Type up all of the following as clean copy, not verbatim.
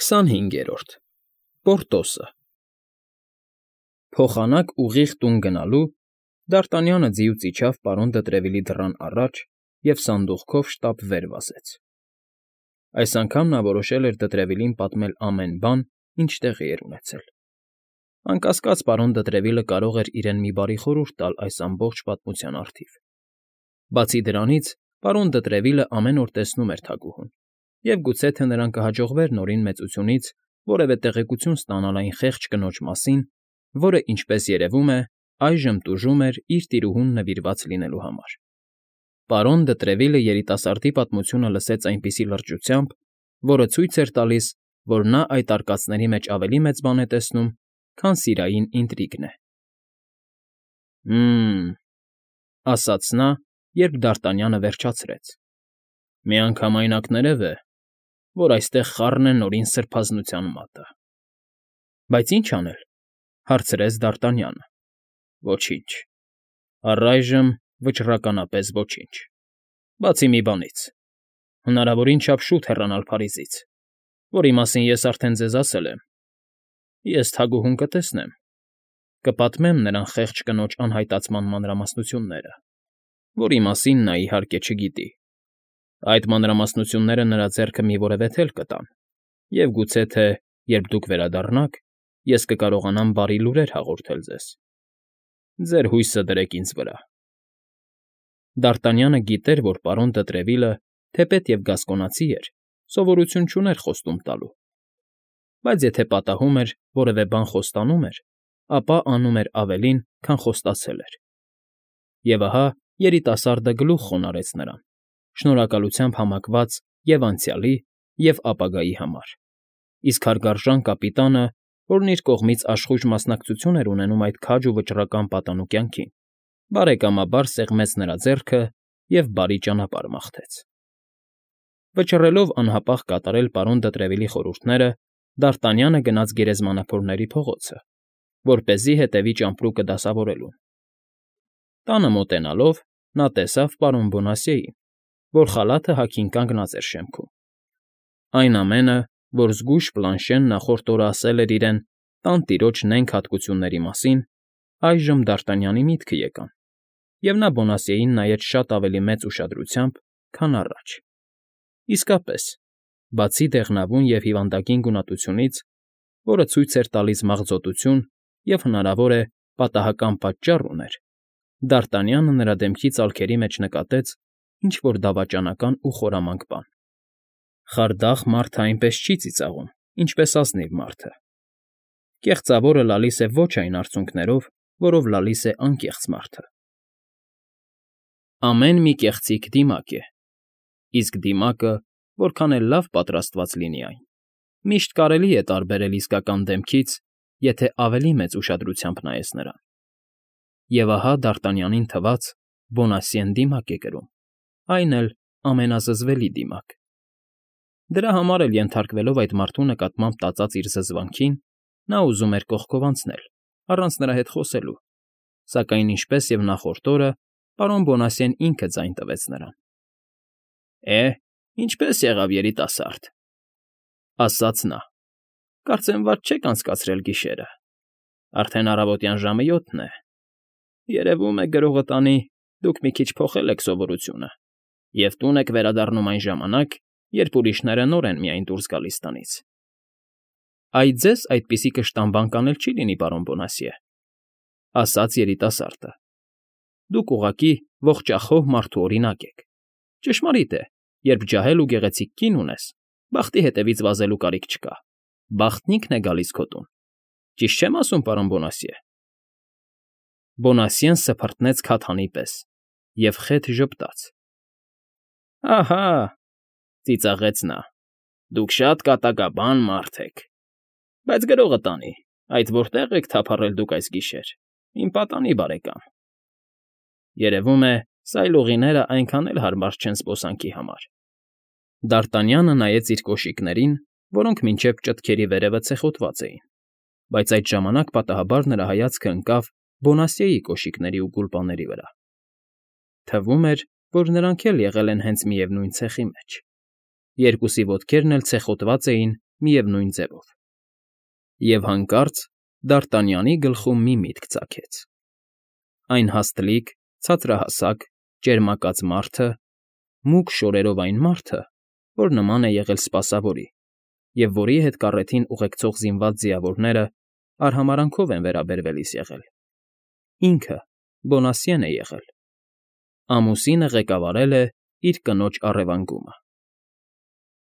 25-րդ Պորտոսը Փոխանակ ուղիղ տուն գնալու Դ'Արտանյանը ձիուց իջավ պարոն Դտրևիլի դռան առաջ և սանդուղքով շտապ վեր վազեց. այս անգամ նա որոշել էր Դտրևիլին պատմել ամեն բան, ինչ տեղի էր ունեցել. անկասկած, պարոն Դտրևիլը կարող էր իրեն մի բարի խորհուրդ տալ այս ամբողջ պատմության առթիվ. բացի դրանից, պարոն Դտրևիլը ամեն օր տեսնում էր թագուհուն, և գուցե թե նրան կհաջողվեր նորին մեծությունից որևէ տեղեկություն ստանալ այն խեղճ կնոջ մասին, որը, ինչպես երևում է, այժմ տուժում էր իր տիրուհուն նվիրված լինելու համար. Պարոն Դտրևիլը երիտասարդի պատմությունը լսեց այնպիսի լրջությամբ, որը ցույց էր տալիս, որ նա այդ արկածների մեջ ավելի մեծ բան է տեսնում, քան սիրային ինտրիգն է։ Հը՜մ, ասաց նա, երբ Դ'Արտանյանը վերջացրեց. միանգամայնակներև է, որ այստեղ խառն է նորին սրբազնության մատը։ Բայց ի՞նչ անել, հարցրեց Դ'Արտանյանը։ Ոչինչ, առայժմ վճռականապես ոչինչ, բացի մի բանից. հնարավորին չափ շուտ հեռանալ Փարիզից, որի մասին ես արդեն ձեզ ասել եմ. ես թագուհուն կտեսնեմ, կպատմեմ նրան խեղճ կնոջ անհայտացման մանրամասնությունները, որի մասին նա, իհարկե, չգիտի. այդ մանրամասնությունները նրա ձեռքը մի որևէ թել կտան, և գուցե թե, երբ դուք վերադառնաք, ես կկարողանամ բարի լուրեր հաղորդել ձեզ. ձեր հույսը դրեք ինձ վրա։ Դ'Արտանյանը գիտեր, որ պարոն Դտրևիլը, թեպետ և գասկոնացի էր, սովորություն չուներ խոստում տալու, բայց եթե պատահում էր որևէ բան խոստանում էր, ապա անում էր ավելին, քան խոստացել էր։ Եվ ահա երիտասարդը գլուխ խոնարհեց նրան, շնորհակալությամբ համակված և անցյալի, և ապագայի համար, իսկ հարգարժան կապիտանը, որն իր կողմից աշխույժ մասնակցություն էր ունենում այդ քաջ ու վճռական պատանու կյանքին, բարեկամաբար սեղմեց նրա ձեռքը և բարի ճանապարհ մաղթեց։ Վճռելով անհապաղ կատարել պարոն Դտրևիլի խորհուրդները, Դ'Արտանյանը գնաց գերեզմանափորների փողոցը, որպեսզի հետևի ճամպրուկը դասավորելուն։ Տանը մոտենալով, նա տեսավ պարոն Բոնասիեին, որ խալաթը հագին կանգնած էր շեմքում։ Այն ամենը, որ զգույշ Պլանշեն նախորդ օրը ասել էր իրեն տանտիրոջ նենգ հատկությունների մասին, այժմ Դ'Արտանյանի միտքը եկան, և նա Բոնասիեին նայեց շատ ավելի մեծ ուշադրությամբ, քան առաջ։ Իսկապես, բացի դեղնավուն և հիվանդագին գունատությունից, որը ցույց էր տալիս մաղձոտություն և, հնարավոր է, պատահական պատճառ ուներ, Դ'Արտանյանը նրա դեմքի ծալքերի մեջ նկատեց ինչ֊որ դավաճանական ու խորամանկ բան։ Խարդախ մարդը այնպես չի ծիծաղում, ինչպես ազնիվ մարդը։ Կեղծավորը լալիս է ոչ այն արցունքներով, որով լալիս է անկեղծ մարդը։ Ամեն մի կեղծիք դիմակ է, իսկ դիմակը, որքան էլ լավ պատրաստված լինի այն, միշտ կարելի է տարբերել իսկական դեմքից, եթե ավելի մեծ ուշադրությամբ նայես նրան։ Եվ ահա Դ'Արտանյանին թվաց. Բոնասիեն դիմակ է կրում, այն էլ ամենազզվելի դիմակ։ Դրա համար էլ, ենթարկվելով այդ մարդու նկատմամբ տածած իր զզվանքին, նա ուզում էր կողքով անցնել, առանց նրա հետ խոսելու, սակայն, ինչպես և նախորդ օրը, պարոն Բոնասիեն ինքը ձայն տվեց նրան։ Ինչպե՞ս եղավ, երիտասարդ, ասաց նա, կարծեմ վատ չեք անցկացրել գիշերը, արդեն առավոտյան ժամը 7 է, երևում է գրողը տանի, դուք մի քիչ փոխել եք սովորությունը և տուն եք վերադառնում այն ժամանակ, երբ ուրիշները նոր են միայն դուրս գալիս տնից։ Այ ձեզ այդպիսի կշտամբանք անել չի լինի, պարոն Բոնասիե, ասաց երիտասարդը։ Դուք ուղղակի ողջախոհ մարդու օրինակ եք։ Ճշմարիտ է, երբ ջահել ու գեղեցիկ կին ունես, բախտի հետևից վազելու կարիք չկա, բախտն ինքն է գալիս քո տուն։ Ճիշտ չեմ ասում, պարոն Բոնասիե։ Բոնասիեն սփռտնեց քաթանի պես և խեթ ժպտաց։ Ահա, ծիծաղեց նա, դուք շատ կատակաբան մարդ եք, բայց գրողը տանի, այդ որտե՞ղ եք թափառել դուք այս գիշեր, իմ պատանի բարեկամ։ Երևում է, սայլուղիները այնքան էլ հարմար չեն զբոսանքի համար։ Դ'Արտանյանը նայեց իր կոշիկներին, որոնք մինչև ճտքերի վերևը ցեխոտված էին, բայց այդ ժամանակ պատահաբար նրա հայացքը ընկավ Բոնասիեի կոշիկների ու գուլպաների վրա։ Թվում էր, որ նրանք էլ եղել են հենց միևնույն ցեխի մեջ։ Երկուսի ոտքերն էլ ցեխոտված էին միևնույն ձևով։ Եվ հանկարծ Դարտանյանի գլխում մի միտք ծագեց. այն հաստլիկ, ցածրահասակ, ճերմակած մարդը, մուգ շորերով այն մարդը, որ նման է եղել սպասավորի, և որի հետ կառեթին ուղեկցող զինված ձիավորները արհամարհանքով են վերաբերվելիս եղել, ինքը Բոնասիեն է եղել, ամուսինը ղեկավարել է իր կնոջ առևանգումը։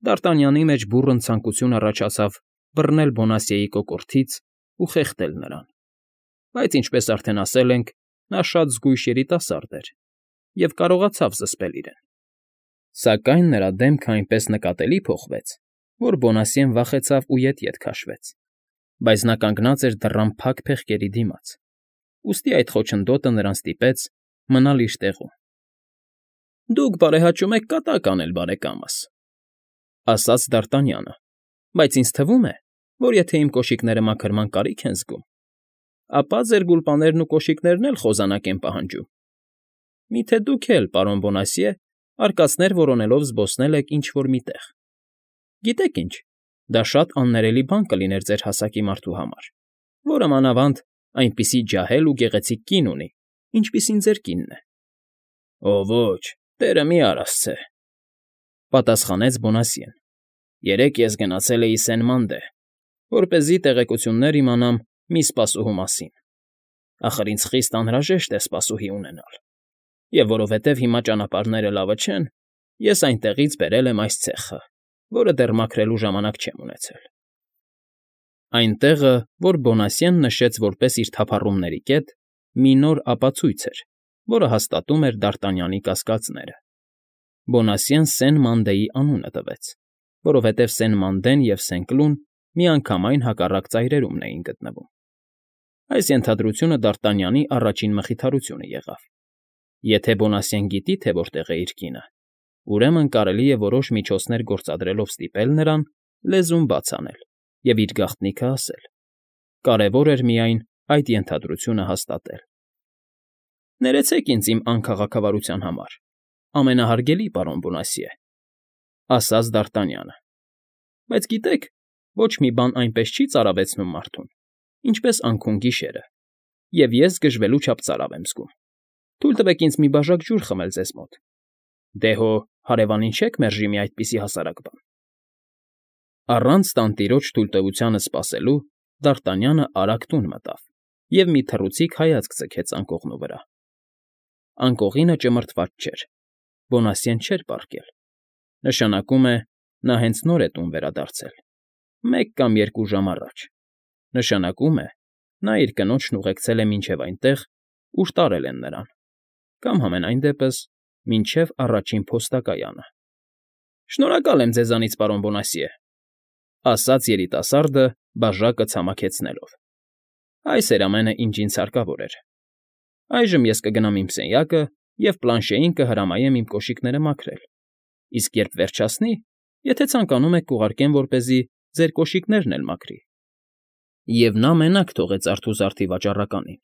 Դարտանյանի մեջ բուռն ցանկություն առաջացավ բռնել Բոնասիեի կոկորդից ու խեղդել նրան, բայց, ինչպես արդեն ասել ենք, նա շատ զգույշ երիտասարդ էր և կարողացավ զսպել իրեն։ Սակայն նրա դեմքը այնպես նկատելի փոխվեց, որ Բոնասիեն վախեցավ ու ետ քաշվեց, բայց նա կանգնած էր դռան փակ փեղկերի դիմաց, ուստի այդ խոչընդոտը նրան ստիպեց մնալ իր տեղում։ ֊ Դուք բարեհաճում եք կատակ անել, բարեկամս, ֊ ասաց Դարտանյանը, բայց ինձ թվում է, որ եթե իմ կոշիկները մաքրման կարիք են զգում, ապա ձեր գուլպաներն ու կոշիկներն էլ խոզանակ են պահանջում։ Միթե դուք էլ, պարոն Բոնասիե, արկածներ որոնելով զբոսնել եք ինչ֊որ մի տեղ։ Գիտեք ինչ, դա շատ աններելի բան կլիներ ձեր հասակի մարդու համար, որը մանավանդ այնպիսի ջահել ու գեղեցիկ կին ունի, ինչպիսին ձեր կինն է։ ֊ Ո ոչ, տերը մի արասցե, ֊ պատասխանեց Բոնասիեն։ Երեկ ես գնացել էի Սեն֊Մանդե, որպեսզի տեղեկություններ իմանամ մի սպասուհու մասին։ Ախր ինձ խիստ անհրաժեշտ է սպասուհի ունենալ, և որովհետև հիմա ճանապարհները լավը չեն, ես այնտեղից բերել եմ այս ցեխը, որը դեռ մաքրելու ժամանակ չեմ ունեցել։ Այն տեղը, որ Բոնասիեն նշեց որպես իր թափառումների կետ, մի նոր ապացույց էր, որը հաստատում էր Դարտանյանի կասկածները։ Բոնասիեն Սեն֊Մանդեի անունը տվեց, որովհետև Սեն֊Մանդեն և Սենկլուն միանգամայն հակառակ ծայրերումն էին գտնվում։ Այս ենթադրությունը Դարտանյանի առաջին մխիթարությունը եղավ։ Եթե Բոնասիեն գիտի, թե որտեղ է իր կինը, ուրեմն կարելի է որոշ միջոցներ գործադրելով ստիպել նրան լեզուն բաց անել և իր գաղտնիքը ասել։ Կարևոր էր միայն այդ ենթադրությունը հաստատել։ ֊ Ներեցեք ինձ իմ անքաղաքավարության համար, ամենահարգելի պարոն Բոնասիե, ֊ ասաց Դարտանյանը։ Բայց գիտեք, ոչ մի բան այնպես չի ծարավեցնում մարդուն, ինչպես անքուն գիշերը, և ես գժվելու չափ ծարավ եմ զգում։ Թույլ տվեք ինձ մի բաժակ ջուր խմել ձեզ մոտ։ Դե հո հարևանին չեք մերժի մի այդպիսի հասարակ բան։ Առանց տանտիրոջ թույլտվությանը սպասելու Դարտանյանը արագ տուն մտավ և մի թռուցիկ հայացք ձգեց անկողնու վրա։ Անկողինը ճմրթված չէր, Բոնասիեն չէր պառկել, նշանակում է, նա հենց նոր է տուն վերադարձել, 1 կամ 2 ժամ առաջ, նշանակում է, նա իր կնոջն ուղեկցել է մինչև այնտեղ, ուր տարել են նրան, կամ համենայն դեպս մինչև առաջին փոստակայանը։ ֊ Շնորհակալ եմ ձեզանից, պարոն Բոնասիե, ֊ ասաց երիտասարդը բաժակը ցամաքեցնելով։ Այս էր ամենը, ինչ ինձ հարկավոր էր։ Այժմ ես կգնամ իմ սենյակը և Պլանշեին կհրամայեմ իմ կոշիկները մաքրել, իսկ երբ վերջացնի, եթե ցանկանում եք կուղարկեմ, որպեսզի ձեր կոշիկներն էլ մաքրի։ Եվ նա մենակ թողեց արթուզարդի վաճառականին,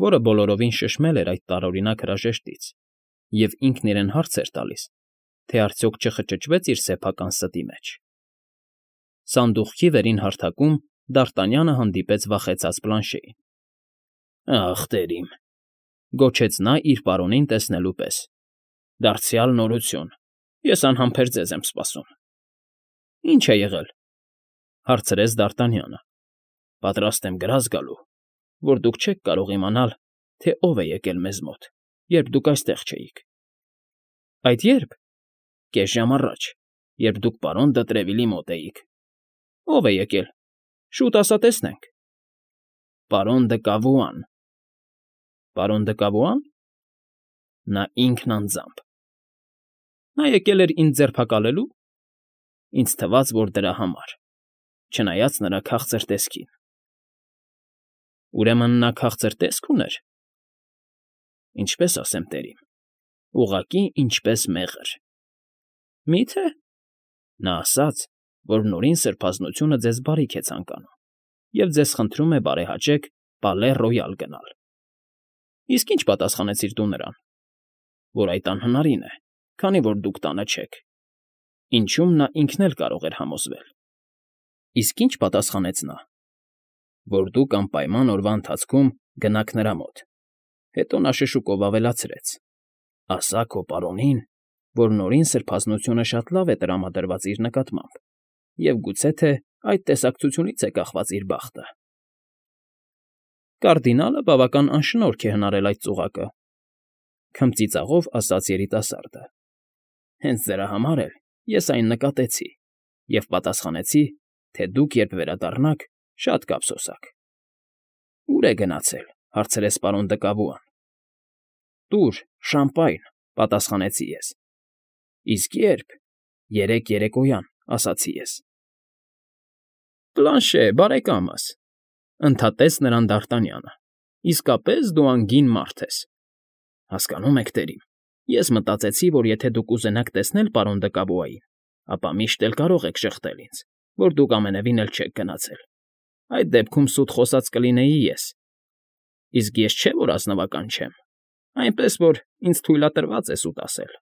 որը բոլորովին շշմել էր այդ տարօրինակ հրաժեշտից, և ինքն իրեն հարց էր տալիս, թե արդյոք չխճճվեց իր սեփական ստի մեջ։ Սանդուղքի վերին հարթակում Դարտանյանը հանդիպեց վախեցած Պլանշեին։ ֊ Ախ, տերիմ, ֊ գոչեց նա իր պարոնին տեսնելու պես։ ֊ Դարձյալ նորություն, ես անհամբեր ձեզ եմ սպասում։ ֊ Ի՞նչ է եղել, ֊ հարցրեց Դարտանյանը։ ֊ Պատրաստ եմ գրազ գալու, որ դուք չեք կարող իմանալ, թե ով է եկել մեզ մոտ, երբ դուք այստեղ չէիք։ ֊ Այդ ե՞րբ։ ֊ Կես ժամ առաջ, երբ դուք պարոն Դը Տրևիլի մոտ էիք։ ֊ Ո՞վ է եկել, շուտ ասա տեսնենք։ ֊ Պարոն Դը Կավուան։ ֊ Պարոն Դը Կավուա՞ն։ Նա ինքն անձամբ։ ֊ Նա եկել էր ինձ ձերբակալելու։ Ինձ թվաց, որ դրա համար, չնայած նրա քաղցր տեսքին։ ֊ Ուրեմն նա քաղցր տեսք ուներ։ ֊ Ինչպես ասեմ, տերիմ, ուղղակի ինչպես մեղր։ ֊ Մի՞թե։ Նա ասաց, որ Նորին Սրբազնությունը ձեզ բարիք է ցանկանում և ձեզ խնդրում է բարեհաճեք Պալե Ռոյալ գնալ։ ֊ Իսկ ի՞նչ պատասխանեցիր դու նրան։ ֊ Որ այդ անհնարին է, քանի որ դուք տանը չեք, ինչում նա ինքն էլ կարող էր համոզվել։ Իսկ ինչ պատասխանեց նա։ Որ դուք անպայման օրվա ընթացքում գնաք նրա մոտ։ Հետո նա շշուկով ավելացրեց. ասա քո պարոնին, որ նորին սրբազնությունը շատ լավ է տրամադրված իր նկատմամբ, և գուցե թե այդ տեսակցությունից է կախված իր բախտը։ Կարդինալը բավական անշնորհք է հնարել այդ ծուղակը, քմծիծաղով ասաց երիտասարդը։ Հենց դրա համար էլ ես այն նկատեցի և պատասխանեցի, թե դուք երբ վերադառնաք, շատ կափսոսաք։ Ո՞ւր է գնացել, հարցրեց պարոն Դկավուան։ Տուր, շամպայն, պատասխանեցի ես։ Իսկ երբ։ Երեկ երեկոյան, ասացի ես։ Պլանշե, բարեկամս, ընդհատեց նրան Դ'Արտանյանը, իսկապես դու անգին մարդ ես։ Հասկանում եք, տերիմ, ես մտածեցի, որ եթե դուք ուզենաք տեսնել պարոն Դկավուային, ապա միշտ էլ կարող եք շղթել ինձ, որ դուք ամենևին էլ չեք գնացել։ Այդ դեպքում սուտ խոսած կլինեի ես։ Իսկ ես չէ՞ որ ազնվական չեմ, այնպես որ ինձ թույլատրված է սուտ ասել։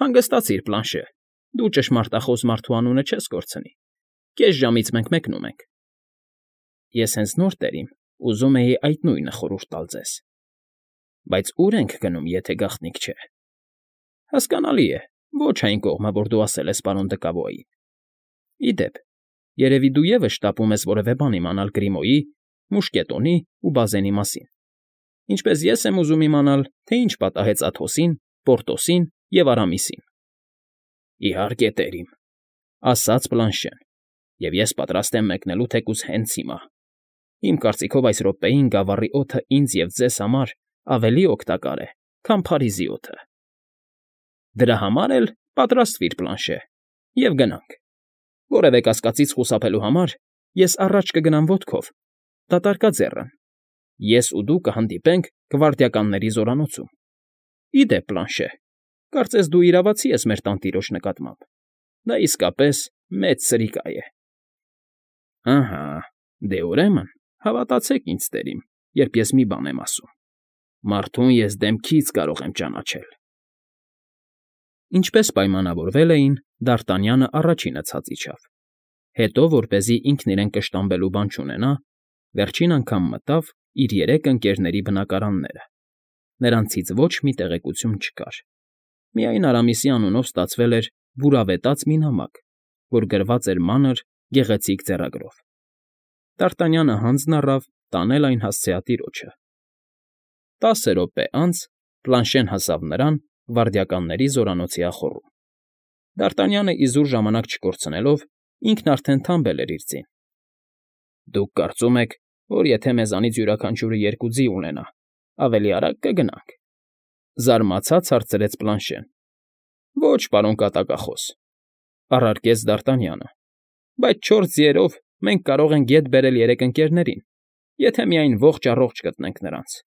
Հանգստացիր, Պլանշե, դու ճշմարտախոս մարդու անունը չես կորցնի։ Կես ժամից մենք մեկնում ենք։ Ես հենց նոր տերիմ, ուզում էի այդ նույնը խորհուրդ տալ ձեզ։ Բայց ուր ենք գնում, եթե գաղտնիք չէ։ Հասկանալի է, ոչ այն կողմը, որ դու ասել ես պարոն Դկավոյին։ Ի դեպ, երևի դու ևս շտապում ես որևէ բան իմանալ Գրիմոյի, Մուշկետոնի ու Բազենի մասին։ Ինչպես ես եմ ուզում իմանալ, թե ինչ պատահեց Աթոսին, Պորտոսին և Արամիսին։ Իհարկե, տերիմ, ասաց Պլանշեն, և ես պատրաստ եմ մեկնելու թեկուզ հենց հիմա։ Իմ կարծիքով այս րոպեին գավառի օդը ինձ և ձեզ համար ավելի օգտակար է, քան Փարիզի օդը։ Դրա համար էլ պատրաստվիր, Պլանշե, և գնանք։ Որևէ կասկածից խուսափելու համար ես առաջ կգնամ ոտքով, դատարկաձեռն։ Ես ու դու կհանդիպենք գվարդիականների զորանոցում։ Ի դեպ, Պլանշե, կարծես դու իրավացի ես մեր տանտիրոջ նկատմամբ։ Դա իսկապես մեծ սրիկա է։ Ահա, դե ուրեմն, հավատացեք ինձ, տերիմ, երբ ես մի բան եմ ասում։ Մարդուն ես դեմքից կարող եմ ճանաչել։ Ինչպես պայմանավորվել էին, Դ'Արտանյանը առաջինը ցած իջավ։ Հետո, որպեսզի ինքն իրեն կշտամբելու բան չունենա, վերջին անգամ մտավ իր երեք ընկերների բնակարանները։ Նրանցից ոչ մի տեղեկություն չկար։ Միայն Արամիսի անունով ստացվել էր բուրավետաց մի նամակ, որ գրված էր մանր, գեղեցիկ ձեռագրով։ Դ'Արտանյանը հանձն առավ տանել այն հասցեատիրոջը։ 10 րոպե անց Պլանշեն հասավ նրան գվարդիականների զորանոցի ախոռում։ Դ'Արտանյանը իզուր ժամանակ չկորցնելով, ինքն արդեն թամբել էր իր ձին։ Դուք կարծում եք, որ եթե մեզանից յուրաքանչյուրը 2 ձի ունենա, ավելի արագ կգնանք։ Զարմացած հարցրեց Պլանշեն։ Ոչ, պարոն կատակախոս, առարկեց Դ'Արտանյանը, բայց 4 ձիերով մենք կարող ենք ետ բերել 3 ընկերներին, եթե միայն ողջ֊առողջ գտնենք նրանց։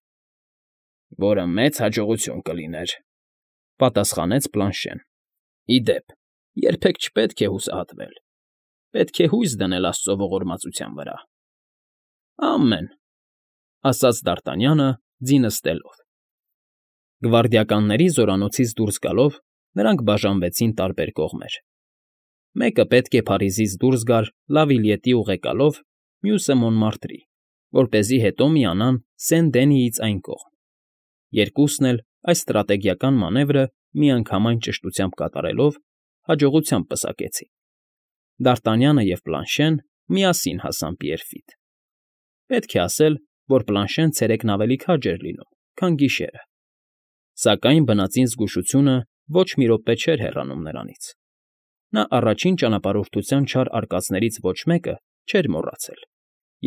Որը մեծ հաջողություն կլիներ, պատասխանեց Պլանշեն։ Ի դեպ, երբեք չպետք է հուսահատվել։ Պետք է հույս դնել Աստծո ողորմածության վրա։ Ամեն, ասաց Դ'Արտանյանը, ձինը ստելով։ Գվարդիականների զորանոցից դուրս գալով, նրանք բաժանվեցին տարբեր կողմեր։ Մեկը պետք է Փարիզից դուրս գար Լավիլյետի ուղեկալով, մյուսը Մոնմարտրի, որպեսզի հետո միանան Սեն֊Դենիից այն կողմ։ Երկուսն էլ այս ստրատեգիական մանևրը միանգամայն ճշտությամբ կատարելով հաջողությամբ պսակեցին։ Դ'Արտանյանը և Պլանշեն միասին հասան Պիերֆիտ։ Պետք է ասել, որ Պլանշեն ցերեկն ավելի քաջ էր լինում, քան գիշերը։ Սակայն բնածին զգուշությունը ոչ մի րոպե չէր հեռանում նրանից։ Նա առաջին ճանապարհորդության չար արկածներից ոչ մեկը չէր մոռացել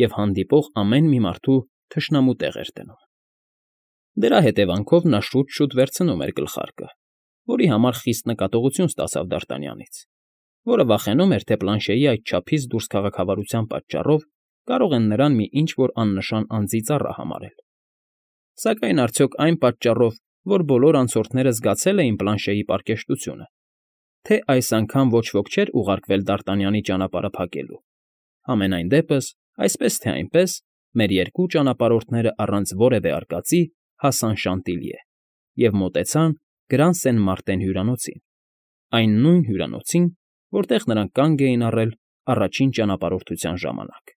և հանդիպող ամեն մի մարդու թշնամու տեղ էր դնում։ Դրա հետևանքով նա շուտ֊շուտ վերցնում էր գլխարկը, որի համար խիստ նկատողություն ստացավ Դ'Արտանյանից, որը վախենում էր, թե Պլանշեի այդչափից դուրս քաղաքավարության պատճառով կարող են նրան մի ինչ֊որ աննշան անձի ծառա համարել։ Սակայն արդյոք այն պատճառով, որ բոլոր անցորդները զգացել էին Պլանշեի պարկեշտությունը, թե այս անգամ ոչ ոք չէր ուղարկվել Դ'Արտանյանի ճանապարհը փակելու։ Համենայն դեպս, այսպես թե այնպես, մեր երկու ճանապարհորդները առանց որևէ արկածի հասան Շանտիլյե և մոտեցան Գրան Սեն Մարտեն հյուրանոցին, այն նույն հյուրանոցին, որտեղ նրանք կանգ էին առել առաջին ճանապարհորդության ժամանակ։